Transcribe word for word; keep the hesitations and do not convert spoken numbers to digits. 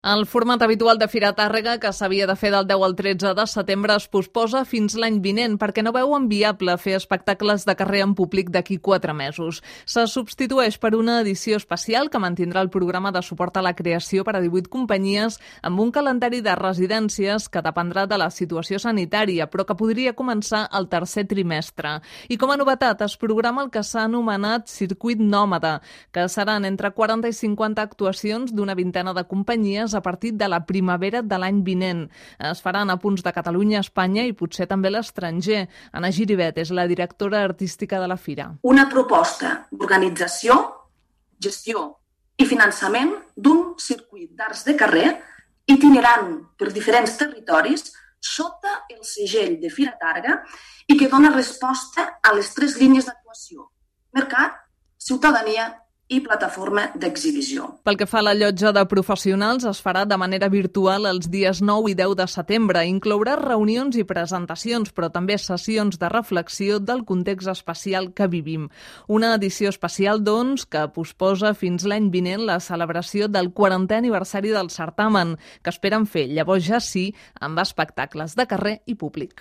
El format habitual de Fira Tàrrega, que s'havia de fer del deu al tretze de setembre, es posposa fins l'any vinent perquè no veuen viable fer espectacles de carrer en públic d'aquí quatre mesos. Se substitueix per una edició especial que mantindrà el programa de suport a la creació per a divuit companyies amb un calendari de residències que dependrà de la situació sanitària, però que podria començar el tercer trimestre. I com a novetat es programa el que s'ha anomenat Circuit Nòmada, que seran entre quaranta i cinquanta actuacions d'una vintena de companyies a partir de la primavera de l'any vinent. Es faran a punts de Catalunya, Espanya i potser també l'estranger. Anna Giribet és la directora artística de la fira. Una proposta d'organització, gestió i finançament d'un circuit d'arts de carrer itinerant per diferents territoris sota el segell de Fira Tàrrega i que dona resposta a les tres línies d'actuació: mercat, ciutadania i plataforma d'exhibició. Pel que fa a la llotja de professionals, es farà de manera virtual els dies nou i deu de setembre. Inclourà reunions i presentacions, però també sessions de reflexió del context especial que vivim. Una edició especial, doncs, que posposa fins l'any vinent la celebració del quarantè aniversari del certamen, que esperen fer llavors ja sí amb espectacles de carrer i públic.